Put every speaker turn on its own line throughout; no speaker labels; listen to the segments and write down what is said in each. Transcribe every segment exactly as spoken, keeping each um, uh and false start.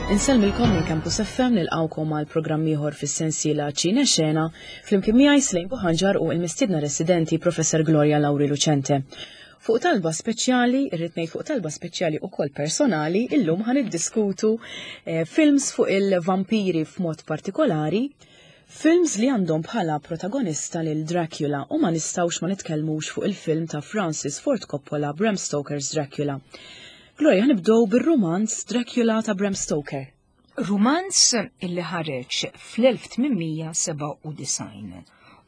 Insellmilkom minn Campus F M, nilqgħukom għal programm ieħor fis-sensiela Ċine Xena, flimkien miegħi Slejn Buħanġar u l-mistiedna residenti Professor Gloria Lauri Lucente. Fuq talba speċjali, irrid ngħid fuq talba speċjali ukoll personali, illum ħa niddiskutu eh, films fuq il-vampiri, f'mod partikolari, films li għandhom bħala protagonista lil Dracula, u ma nistgħux ma nitkellmux fuq il-film ta' Francis Ford Coppola, Bram Stoker's Dracula. Gloria, nibdew bir-rumanz Dracula ta' Bram Stoker.
Rumanz illi ħareġ fl-elf tmien mija sebgħa u disgħin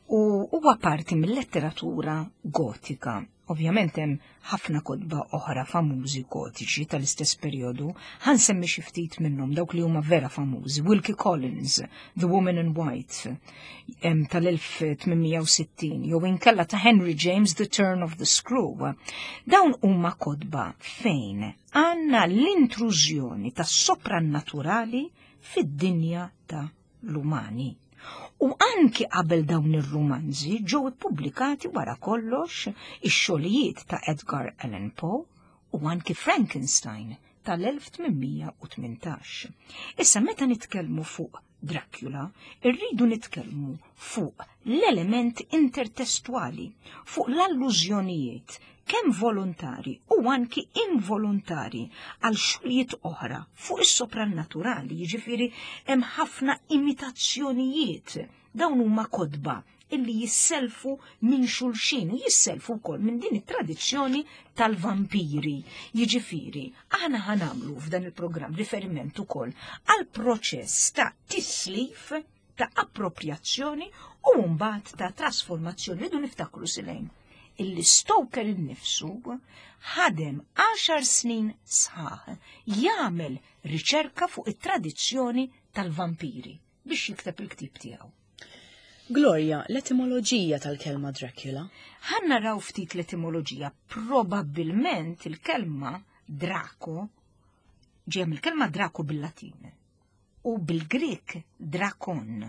u huwa parti mill-letteratura gotika. Ovvjament hemm ħafna kotba oħra famużi gotiċi tal-istess perjodu, ħa nsemmi xi ftit minnhom, dawk li huma vera famużi. Wilkie Collins, The Woman in White, tal-elf tmien mija u sittin, jew inkella ta' Henry James, The Turn of the Screw. Dawn huma kotba fejn għandna l-intrużjoni tas soprannaturali fid-dinja ta' l-umani. U anki qabel dawn ir-rumanzi ġew ippubblikati wara kollox ix-xogħlijiet ta' Edgar Allan Poe u anki Frankenstein tal-elf tmien mija u tmintax. Issa, meta nitkellmu fuq Dracula, irridu nitkellmu fuq l-element intertestwali, fuq l-allużjonijiet kemm volontari u anki involontari għal xogħlijiet oħra fuq is-soprannaturali, jiġifieri hemm ħafna imitazzjonijiet. Dawn huma kotba illi jisselfu minn xulxin u jisselfu wkoll minn din it-tradizzjoni tal-vampiri. Jiġifieri, aħna ħa nagħmlu f'dan il-programm riferiment ukoll għal proċess ta' tislif, ta' appropriazzjoni u mbagħad ta' trasformazzjoni. Ridu niftakru, Silejn, illi Stoker innifsu ħadem għaxar snin sħaħ jagħmel riċerka fuq it-tradizzjoni tal-vampiri biex jikteb il-ktib tiegħu.
Gloria, l-etimoloġija tal-kelma Dracula.
Ħa naraw ftit l-etimoloġija. Probabbilment il-kelma Draco ġejja mill-kelma Draco bil-Latin u bil-Grek Drakon.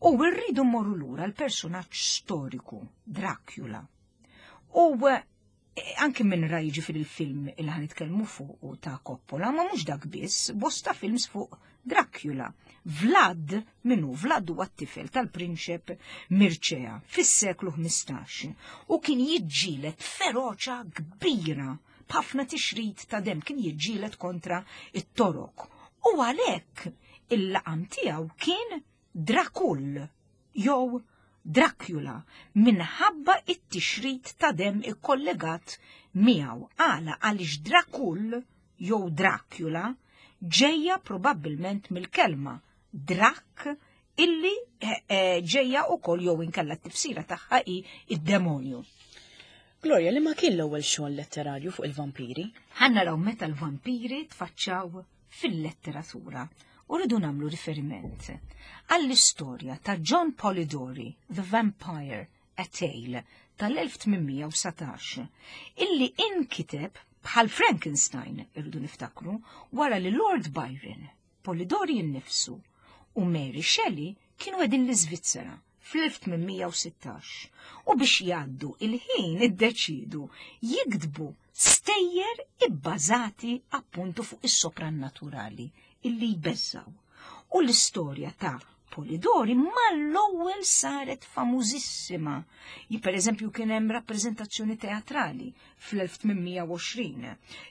U rridu mmorru lura l-personaġġ storiku Dracula. U eh, anki minn ra jiġifieri il-film il ħa nitkellmu fuq u ta' Coppola, ma mhux dak biss, bosta films fuq Dracula. Vlad, minnu Vlad huwa t-tifel tal-prinċep Mircea fis-seklu ħmistax u kien jiġġieled feroċa kbira, b'ħafna tixrid ta' dem, kien jiġġieled kontra it-Torok. U għalhekk il-laqam tiegħu kien Dracul jew Dracula minħabba it-tixrid ta' dem ikkollegat miegħu. Għala? Għaliex Dracul jew Dracula ġejja probabbilment mill-kelma Drak illi eh, eh, ġejja ukoll jew inkella t-tifsira tagħha hi id-demonju.
Gloria, li ma kien l-ewwel xogħol letterarju fuq il-vampiri?
Ħa naraw meta l-vampiri tfaċċaw fil-letteratura u rridu nagħmlu riferiment għall-istorja ta' John Polidori, The Vampire, A Tale, tal-elf tmien mija u dsatax, illi inkiteb bħal Frankenstein, irridu niftakru, wara li Lord Byron, Polidori innifsu u Mary Shelley kienu qegħdin l-Iżvizzera fl-elf tmien mija u sittax u biex jgħaddu il-ħin iddeċidu jiktbu stejjer ibbażati appuntu fuq is-soprannaturali illi jbeżżaw. U l-istorja ta' Polidori mal-ewwel saret famużissima. Per eżempju, kien hemm rappreżentazzjoni teatrali fl-elf tmien mija u għoxrin.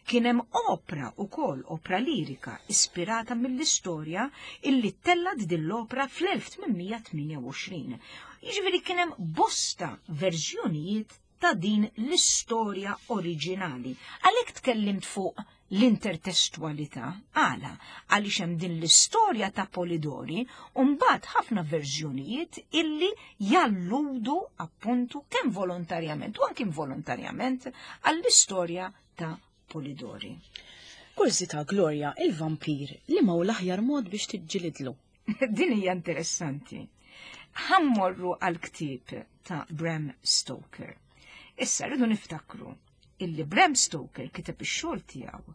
Kien hemm opra ukoll, opra lirika ispirata mill-istorja illi ttellgħet din l-opra fl-elf tmien mija tmienja u għoxrin. Jiġifieri kien hemm bosta verżjonijiet ta' din l-istorja oriġinali. Għalhekk tkellimt fuq l-intertestualità. Għala? Għaliex hemm din l-istorja ta' Polidori u mbagħad ħafna verżjonijiet illi jalludu appuntu kemm volontarjament u anke involontarjament għall-istorja ta' Polidori.
Kurżità, Gloria, il-vampir, li ma hu l-aħjar mod biex tiġġilidlu?
Din hija interessanti. Ħa mmorru għal-ktieb ta' Bram Stoker. Issa rridu niftakru illi Bram Stoker kiteb ix-xogħol tiegħu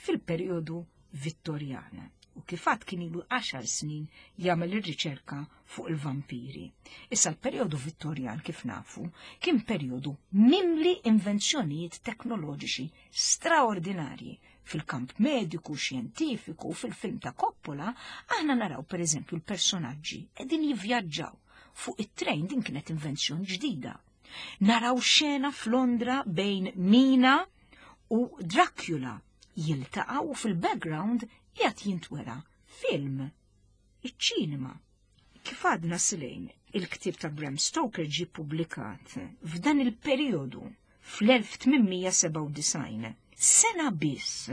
fil-perjodu Vittorjan u kif għedt kien ilu għaxar snin jagħmel ir-riċerka fuq il-vampiri. Issa, l-perjodu Vittorjan, kif nafu, kien perjodu mimli invenzjonijiet teknoloġiċi straordinarji. Fil-kamp mediku, xjentifiku, fil-film ta' Coppola, aħna naraw per eżempju l-personaġġi qegħdin jivvjaġġaw fuq it-trejn, din kienet invenzjoni ġdida. Naraw xena f'Londra bejn Mina u Dracula jiltaqgħu u fil-background qiegħed jintwera film, iċ-ċinema. Kif għadna Silejn, il-ktieb ta' Bram Stoker ġie publikat f'dan il-perjodu fl-elf tmien mija sebgħa u disgħin, sena biss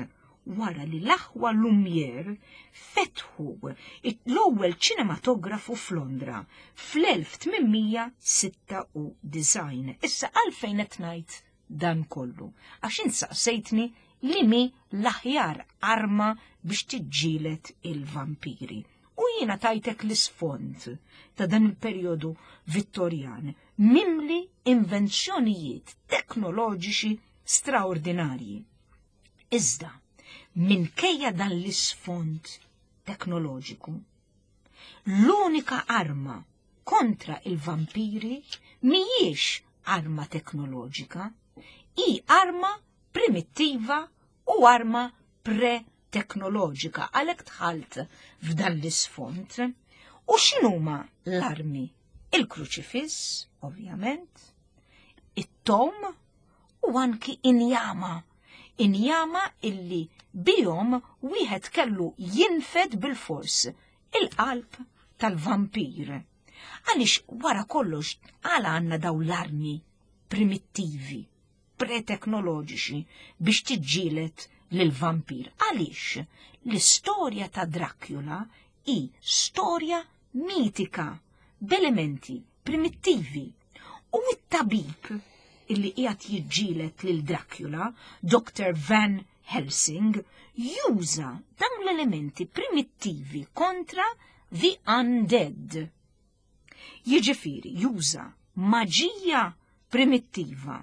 wara li l-aħwa Lumière fetħu l-ewwel ċinematografu f'Londra fl-elf tmien mija sitta u disgħin. Issa għalfejn qed ngħid dan kollu? Għax insaqsejtni li mi l-aħjar arma biex tiġġieled il-vampiri. U jiena tajtek l-isfond ta' dan il-perjodu Vittorjan mimli invenzjonijiet teknoloġiċi straordinarji. Iżda, minkejja dan l-isfond teknoloġiku, l-unika arma kontra il-vampiri mhijiex arma teknoloġika, hi arma primittiva u arma pre-teknoloġika, għalhekk dħalt f'dan l-isfond. U x'inhuma l-armi? Il-kruċifiss, ovvjament, it-tom u anki injama. Injama illi bihom wieħed kellu jinfed bil-fors il-qalb tal-vampir. Għaliex wara kollox għala għandna daw l-armi primittivi, preteknoloġiċi biex tiġġieled lil-vampir? Għaliex l-istorja ta' Dracula hi storja mitika b'elementi primittivi. U it-tabib illi qiegħed jiġġieled lil Dracula, Doktor Van Helsing, juża dawn l-elementi primittivi kontra the undead. Jiġifieri juża maġija primittiva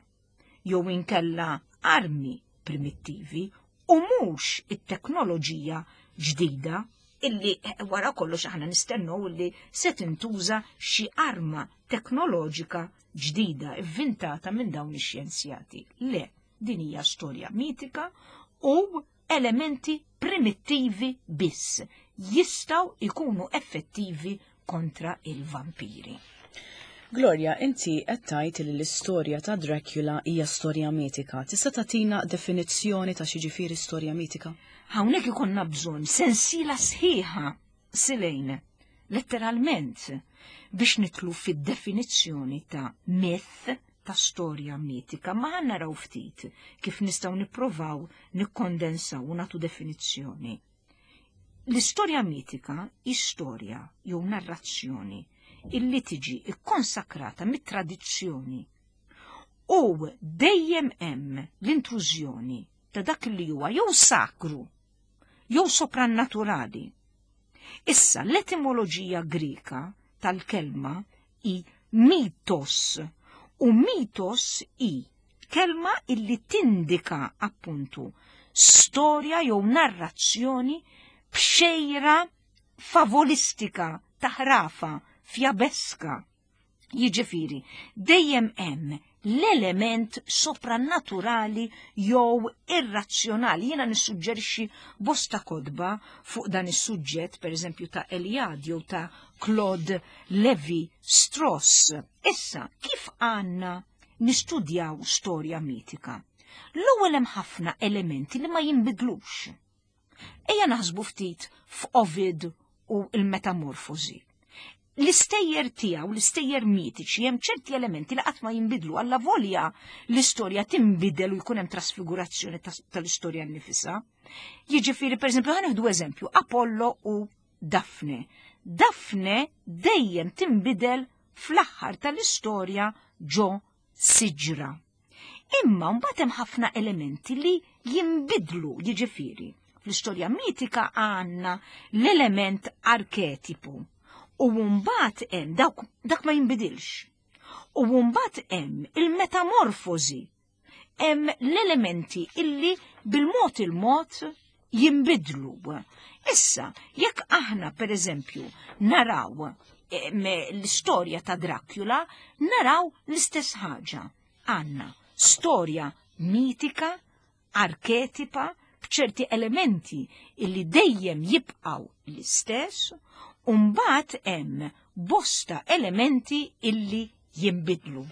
jew inkella armi primittivi u mhux it-teknoloġija ġdida illi wara kollox aħna nistennew illi se tintuża xi arma teknoloġika ġdida ivvintata minn dawn ix-xjenzjati. Le, din hija storja mitika u elementi primittivi biss jistgħu ikunu effettivi kontra il-vampiri.
Gloria, inti qed tgħid li l-istorja ta' Dracula hija storja mitika. Tista' tagħtina definizzjoni ta' x'jiġifieri storja mitika?
Hawnhekk ikollna bżonn sensiela sħiħa, Silejn, letteralment, biex nidħlu fid-definizzjoni ta' myth, ta' storja mitika, ma ħa naraw ftit kif nistgħu nipprovaw nikkondensaw u nagħtu definizzjoni. L-istorja mitika hi storja jew narrazzjoni illi tiġi ikkonsakrata mit-tradizzjoni u dejjem hemm l-intrużjoni ta' dak li huwa jew sakru jew soprannaturali. Issa l-etimoloġija Grika tal-kelma hi mitos, u mitos hi kelma illi tindika appuntu storja jew narrazzjoni b'xejra favolistika, taħrafa, fjabeska. Jiġifieri, dejjem hemm l-element soprannaturali jew irrazzjonali. Jiena nissuġġerixxi bosta kotba fuq dan is-suġġett, pereżempju ta' Eliade jew ta' Claude Levi Strauss. Issa, kif għandna nistudjaw storja mitika? L-ewwel hemm ħafna elementi li ma jinbidlux. Ejja naħsbu ftit f'Ovid u l-metamorfosi. L-istejjer tiegħu, l-istejjer mitiċi, hemm ċerti elementi li qatt ma jinbidlu, alla volja l-istorja tinbidel u jkun hemm trasfigurazzjoni tal-istorja nnifisha. Jiġifieri, pereżempju, ħa nieħdu eżempju, Apollo u Daphne. Daphne dejjem tinbidel fl-aħħar tal-istorja ġo siġra. Imma mbagħad hemm ħafna elementi li jinbidlu, jiġifieri. Fl-istorja mitika għandna l-element arketipu. U mbagħad hemm dak, dak ma jinbidilx. U mbagħad hemm il-metamorfosi. Hemm l-elementi illi bil-mod il-mod jinbidlu. Issa, jekk aħna per eżempju naraw l-istorja ta' Dracula, naraw l-istess ħaġa. Għandna storja mitika, arketipa, b'ċerti elementi illi dejjem jibqgħu l-istess, u mbagħad hemm bosta elementi illi jinbidlu.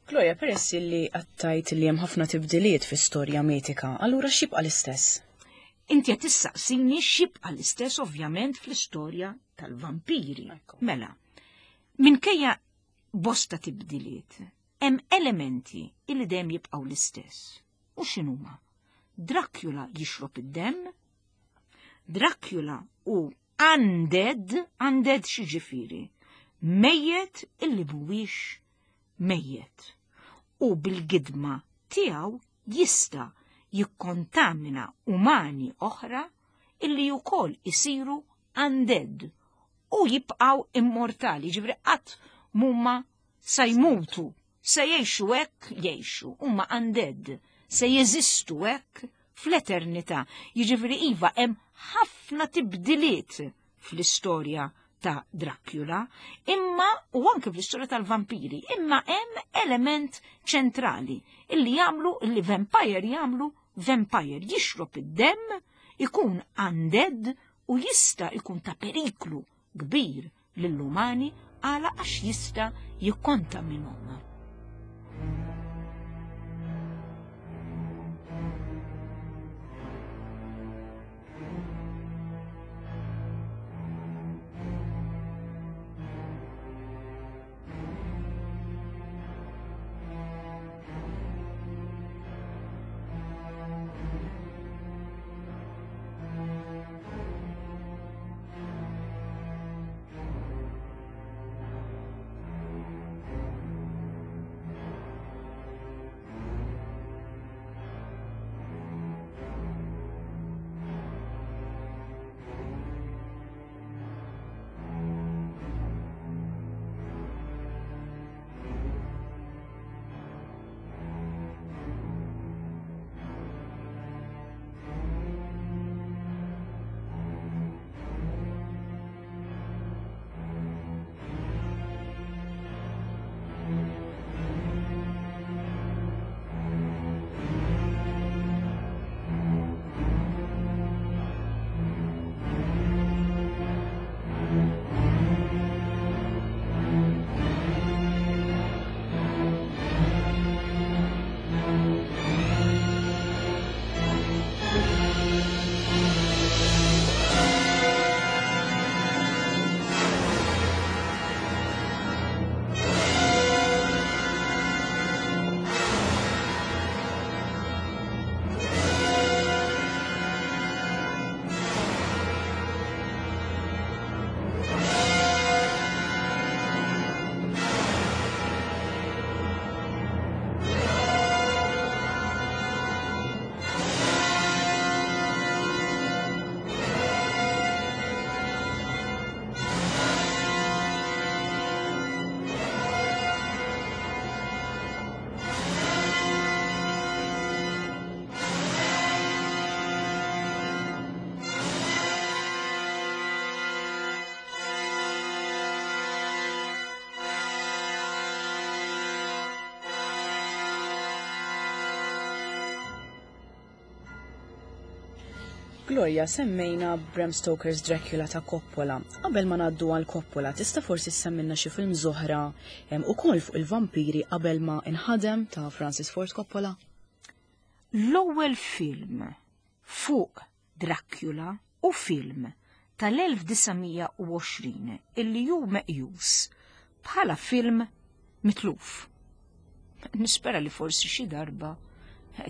Gloria, peress li għattajt li hemm ħafna tibdiliet fi storja mitika, allura x'jibqa' l-istess?
Inti qed tistaqsini x'jibqa' l-istess ovvjament fl-istorja tal-vampiri. Mela, minkejja bosta tibdiliet, hemm elementi illi dejjem jibqgħu l-istess. U x'inhuma? Dracula jixrob id-demm, Dracula hu undead, undead x'jiġifieri, mejjet illi mhuwiex mejjet. U bil-gidma tiegħu jista' jikkontamina umani oħra illi wkoll isiru undead u jibqgħu immortali, ġifieri qatt mhuma se jmutu, se jgħixu hekk jgħixu, huma undead, se jeżistu hekk fl-eternità. Jiġifieri iva hemm ħafna tibdiliet fl-istorja ta' Dracula, imma u anke fl-istorja tal-vampiri, imma hemm element ċentrali illi jagħmlu illi vampire jagħmlu vampire jixrob id-demm, ikun undead u jista' ikun ta' periklu kbir lill-umani għala għax jista' jikkontaminhom.
Gloria, semmejna Bram Stoker's Dracula ta' Coppola. Qabel ma ngħaddu għal Coppola, tista' forsi semmilna xi film oħra ukoll fuq il-vampiri qabel ma inħadem ta' Francis Ford Coppola?
L-ewwel film fuq Dracula u film tal-elf disa' mija u għoxrin illi hu meqjus bħala film mitluf. Nispera li forsi xi darba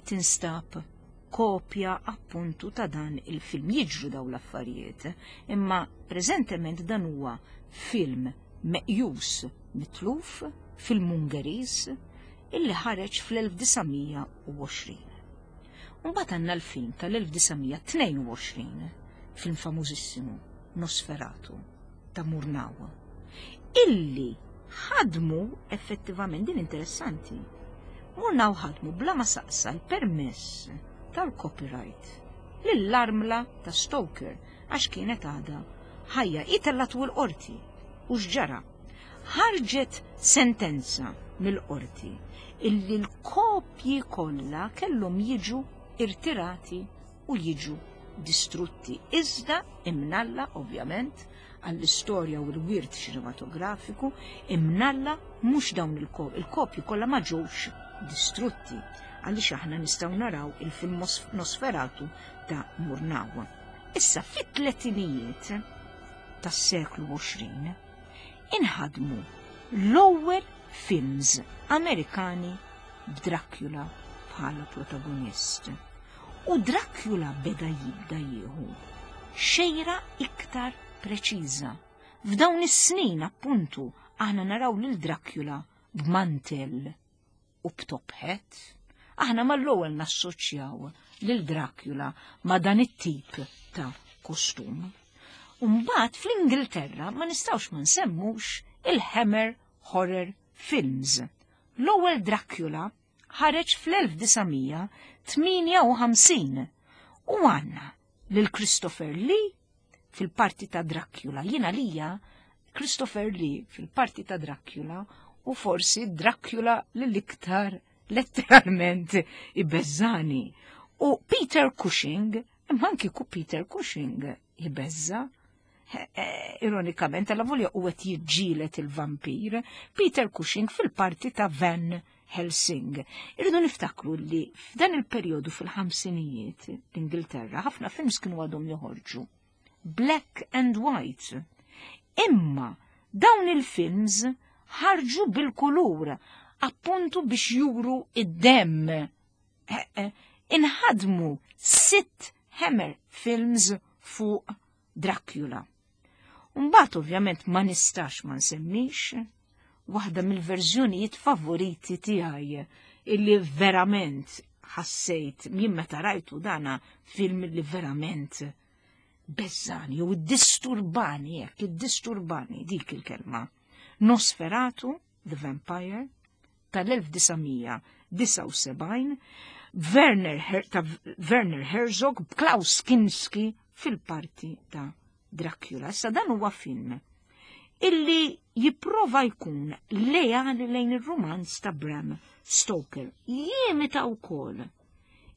tinstab kopja appuntu ta' dan il-film. Jiġru daw l-affarijiet, imma preżentement dan huwa film meqjus mitluf, film Ungeriż, illi ħareġ fl-elf disa' mija u għoxrin. Mbagħad għandna l-film tal-elf disa' mija tnejn u għoxrin, film famużissimu, Nosferatu, ta' Murnau, illi ħadmu effettivament, din interessanti, Murnau ħadmu bla ma saqsa l-permess tal-copyright lill-armla ta' Stoker għax kienet għadha ħajja. Itellatu l-qorti u x'ġara? Ħarġet sentenza mill-qorti illi l-kopji kollha kellhom jiġu irtirati u jiġu distrutti. Iżda imnalla, ovvjament, għall-istorja u l-wirt ċinematografiku, imnalla mhux dawn il-kopji kollha ma ġewx distrutti, għaliex aħna nistgħu naraw il-film Nosferatu ta' Murnau. Issa fit-tletinijiet tas-seklu għoxrin inħadmu l-ewwel films Amerikani b'Dracula bħala protagonist. U Dracula beda jibda jieħu xejra iktar preċiża. F'dawn is-snin appuntu aħna naraw lil Dracula b'mantel u b'top hat. Aħna mal-ewwel nassoċjaw lil Dracula ma' dan it-tip ta' kostum. Umbagħad fl-Ingilterra ma nistgħux ma nsemmux il-Hammer Horror Films. L-ewwel Dracula ħareġ fl-elf disa' mija tmienja u ħamsin u għandna lil Christopher Lee fil-parti ta' Dracula. Jiena lija Christopher Lee fil-parti ta' Dracula u forsi Dracula l-iktar letteralment ibeżżani. U Peter Cushing, imma anki ku Peter Cushing ibeżza. Ironikament, għalla volja u għet jiġġieled il-vampir, Peter Cushing fil-parti ta' Van Helsing. Irridu niftakru li f'dan il-perjodu fil-ħamsinijiet l-Ingilterra ħafna films kienu għadhom joħorġu black and white. Imma dawn il-films ħarġu bil-kulur, appuntu biex juru id-demm. Eh, eh, inħadmu sitt Hammer films fuq Dracula. Mbagħad ovvjament ma nistax ma nsemmix waħda mill-verżjonijiet favoriti tiegħi illi verament ħassejt minn meta rajtu dana film li verament beżani u disturbani, jekk iddisturbani dik il-kelma. Nosferatu, The Vampire, tal-elf disa' mija disgħa u sebgħin, Werner Her-, ta' Werner Herzog, Klaus Kinski fil-parti ta' Dracula. Issa dan huwa film illi jipprova jkun lejali lejn ir-romanz ta' Bram Stoker. Jimita wkoll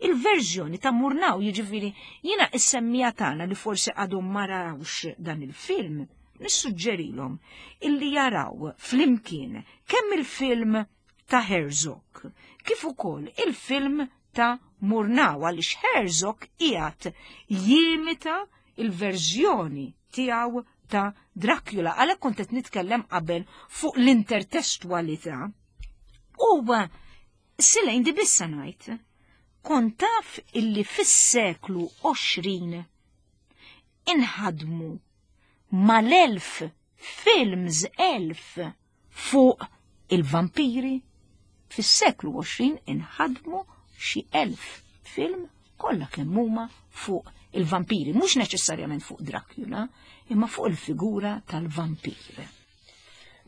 il-verżjoni ta' Murnau, jiġifieri jiena is-semmija tagħna li forsi għadhom ma rawx dan il-film, nissuġġerilhom illi jaraw flimkien kemm il-film ta' Herzog kif ukoll il-film ta' Murnau, għaliex Herzog qiegħed jimita il-verżjoni tiegħu ta' Dracula. Għalhekk kont qed nitkellem qabel fuq l-intertestwalità. U Silejn di bissa ngħid, kont taf illi fis-seklu għoxrin inħadmu mal-elf films elf fuq il-vampiri. Fis-seklu għoxrin inħadmu xi elf film kollha kemm huma fuq il-vampiri, mhux neċessarjament fuq Dracula, imma fuq il-figura tal-vampir.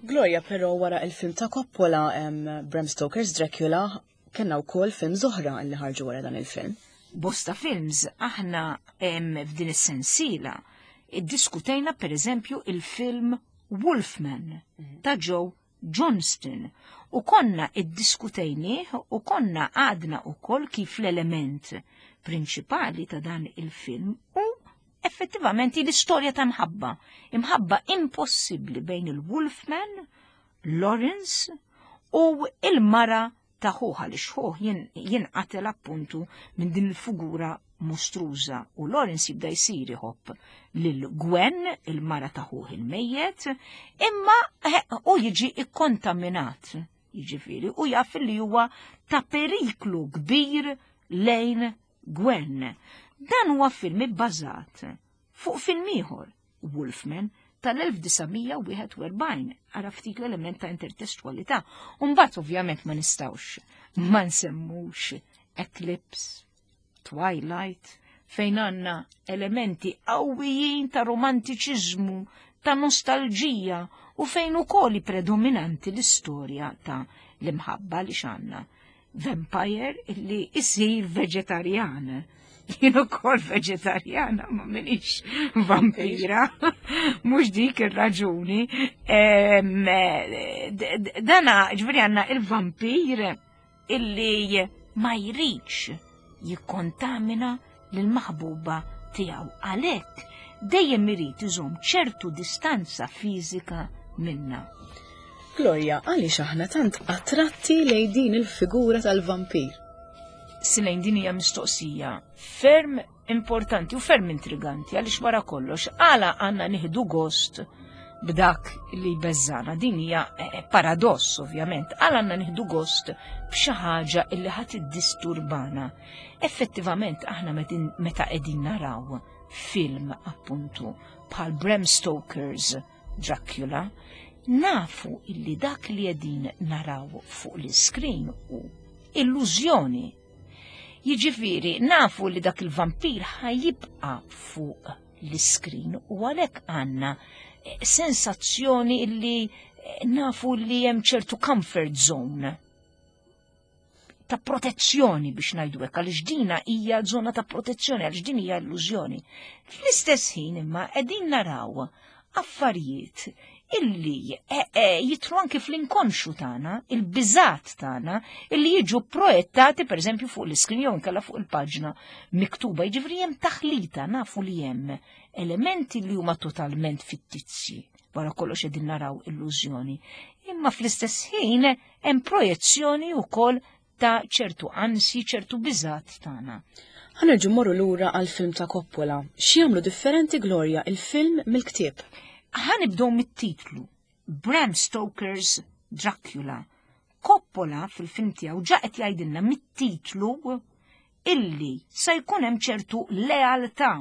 Gloria, però wara il-film ta' Coppola, em, Bram Stoker's Dracula, kellna wkoll film oħra li ħarġu wara dan il-film.
Bosta films aħna, em, f'din is-sensiela iddiskutejna per eżempju il-film Wolfman
Mhm.
ta' Joe Johnston u konna iddiskutejnieh u konna għadna wkoll kif l-element prinċipali ta' dan il-film u effettivament l-istorja ta' mħabba, imħabba impossibbli bejn il-Wolfman, Lawrence u il-mara ta' ħuħa li xħuħ jinqatel appuntu minn din il-figura mostruża u Lawrence jibda jsir iħobb lil Gwen, il-mara ta' ħuħ il-mejjet, imma u jiġi ikkontaminat, jiġifieri, u jaf li huwa ta' periklu kbir lejn Gwen. Dan huwa film ibbażat fuq film ieħor, Wolfman, tal-elf disa' mija wieħed u erbgħin, ara ftit l-element ta' intertestwalità. U mbagħad ovvjament ma nistgħux ma nsemmux Eclipse, Twilight, fejn għandna elementi qawwijin ta' romantiċiżmu, ta' nostalġija u fejn ukoll predominanti l-istorja ta' l-imħabba li x'għandna. Vampire illi isir veġetarjan. Jien ukoll veġetarjana, ma minix vampira. Mhux dik ir-raġuni. Em, d-, d-, dana, ġifieri għandna il-vampir illi ma jridx jikkontamina lill-maħbuba tiegħu. Għalhekk dejjem irid iżomm ċertu distanza fiżika minna.
Gloria, għaliex aħna tant attratti lejn din il-figura tal-vampir?
Silejn, din hija mistoqsija ferm importanti u ferm intriganti, għaliex wara kollox għala għandna nieħdu gost b'dak li jbeżżana? Din hija eh, paradoss ovvjament. Għala għandna nieħdu gost b'xi ħaġa illi ħadd iddisturbana? Effettivament, aħna meta qegħdin naraw film appuntu bħal Bram Stoker's Dracula, nafu illi dak li qegħdin naraw fuq l-screen hu illużjoni. Jiġifieri nafu li dak il-vampir ħa jibqa' fuq l-screen u għalhekk għandna eh, sensazzjoni illi eh, nafu li hemm ċertu comfort zone ta' protezzjoni, biex ngħidu hekk, għaliex dina hija żona ta' protezzjoni, għaliex din hija illużjoni. Fl-istess ħin imma qegħdin naraw affarijiet illi eh, eh, jidħlu anki fl-inkonxu tagħna, il-biżat tagħna, illi jiġu projettati pereżempju fuq l-iskrin jew inkella fuq il-paġna miktuba. Jiġifieri hemm taħlita, nafu li hemm elementi li huma totalment fittizji. Wara kollox qegħdin naraw illużjoni. Imma fl-istess ħin hemm projezzjoni wkoll ta' ċertu ansi, ċertu biżat tagħna.
Ħa nerġgħu mmorru lura għal-film ta' Coppola. X'jagħmlu differenti, Gloria, il-film mill-ktieb?
Ħa nibdew mit-titlu, Bram Stoker's Dracula. Coppola fil-film tiegħu ġa qed jgħidilna mit-titlu illi se jkun hemm ċertu lealtà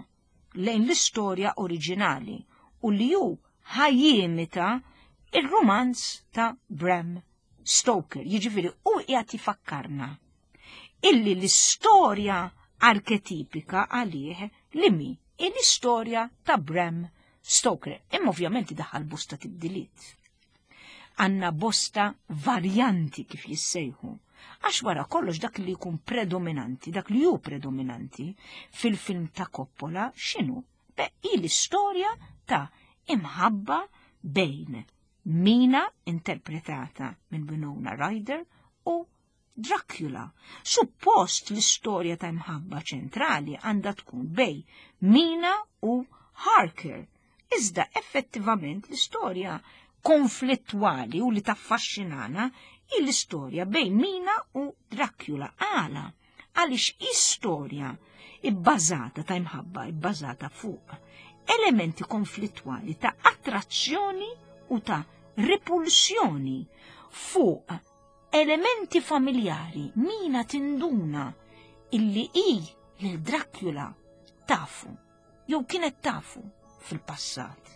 lejn l-istorja oriġinali u li hu ħa jimita il-romanz ta' Bram Stoker. Jiġifieri hu qiegħed jfakkarna illi l-istorja arketipika għalih li mi l-istorja ta' Bram Stoker. Imma ovvjament daħal bosta tibdiliet. Għandna bosta varjanti, kif jissejħu. Għax wara kollox dak li jkun predominanti, dak li hu predominanti fil-film ta' Coppola x'inhu? Beh, l-istorja ta' imħabba bejn Mina, interpretata minn Winona Ryder, u Dracula. Suppost l-istorja ta' imħabba ċentrali għandha tkun bejn Mina u Harker. Iżda effettivament l-istorja konflittwali u li taffaxxinana hi l-istorja bejn Mina u Dracula. Għala? Għaliex istorja ibbażata ta' imħabba ibbażata fuq elementi konflittwali ta' attrazzjoni u ta' repulsjoni, fuq elementi familjari. Mina tinduna illi i lil Dracula tafu, jew kienet tafu fil-passat.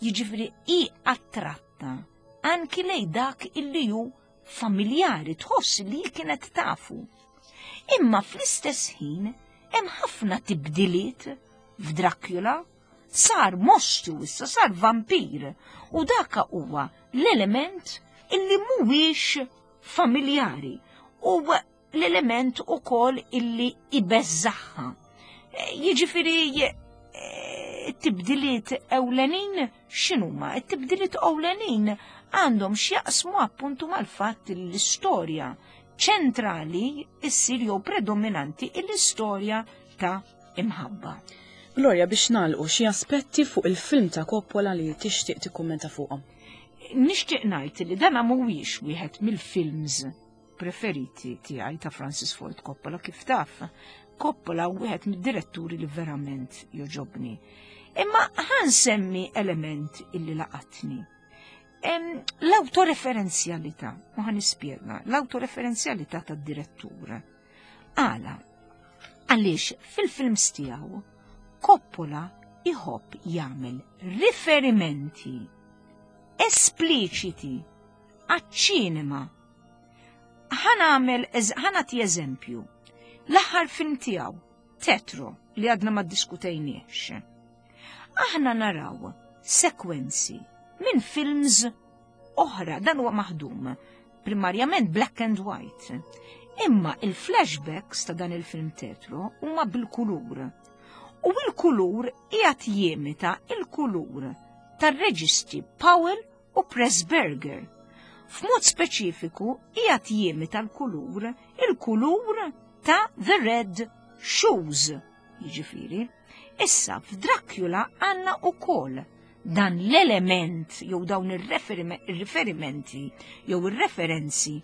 Jiġifieri i attratta anki lej dak illi hu familjari, tħoss li kienet tafu. Imma fl-istess ħin hemm ħafna tibdiliet f'Dracula, sar mostru issa, sar vampir, u daka huwa l-element illi mhuwiex familjari u l-element ukoll illi ibeżżagħha. Jiġifieri it-tibdiliet ewlenin x'inhuma? It-tibdiliet ewlenin għandhom x'jaqsmu appuntu mal-fatt li l-istorja ċentrali issir jew predominanti l-istorja ta' imħabba.
Gloria, biex nagħlqu, xi aspetti fuq il-film ta' Coppola li tixtieq tikkummenta fuqhom?
Nixtieq ngħid li dan mhuwiex wieħed mill-films preferiti tiegħi ta' Francis Ford Coppola. Kif taf, Coppola wieħed mid-diretturi li verament jogħġobni. Imma ħa nsemmi element illi laqatni. L-autoreferenzjalità, u ħa nispjega, l-autoreferenzjalità tad-direttur. Għala? Għaliex fil-films tiegħu Coppola iħobb jagħmel riferimenti espliċiti għaċ-ċinema. Ħa nagħmel, ħa nagħti eżempju. L-aħħar film tiegħu, Tetro, li għadna ma ddiskutejniex. Aħna naraw sekwenzi minn films oħra, dan huwa maħdum primarjament black and white. Imma il-flashbacks ta' dan il-film Tetro huma bil-kulur. U il-kulur qiegħed jimita il-kulur tar-reġisti Powell u Pressburger. F'mod speċifiku qiegħed jimita l-kulur il-kulur Ta' The Red Shoes, jiġifieri. Issa f'Dracula għandna ukoll dan l-element jew dawn ir-riferimenti jew ir-referenzi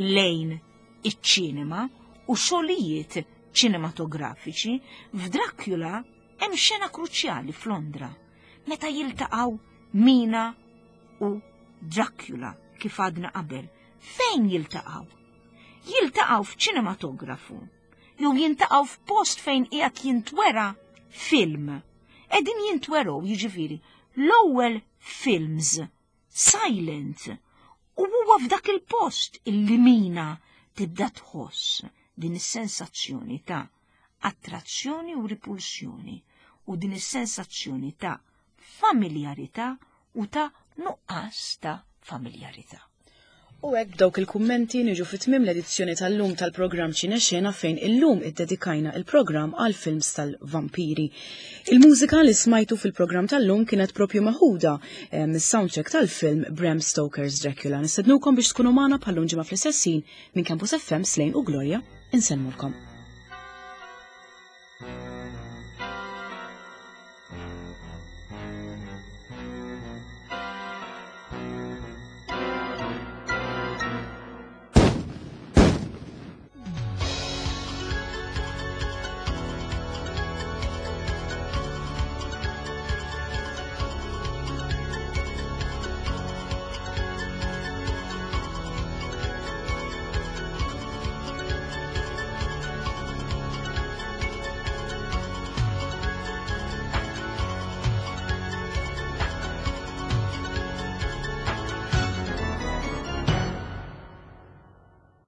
lejn iċ-ċinema u xogħlijiet ċinematografiċi. F'Dracula hemm xena kruċjali f'Londra meta jiltaqgħu Mina u Dracula, kif għadna qabel. Fejn jiltaqgħu? Jiltaqgħu f'ċinematografu jew jiltaqgħu f'post fejn qiegħed jintwera film. Qegħdin jintwerew, jiġifieri, l-ewwel films silent, u huwa f'dak il-post illi Mina tibda tħoss din is-sensazzjoni ta' attrazzjoni u ripulsjoni u din is-sensazzjoni ta' familjarità u ta' nuqqas ta' familjarità.
U hekk, b'dawk il-kummenti, niġu fi tmiem l-edizzjoni tal-lum tal-programm Ċinexena, fejn illum iddedikajna il-programm għal films tal-vampiri. Il-mużika li smajtu fil-programm tal-lum kienet propju meħuda eh, mis-soundtrack tal-film Bram Stoker's Dracula. Nistednukom biex tkunu magħna bħal-lum ġimgħa fl-istess ħin. Minn Campus F M, Slane u Gloria, insellmulkom.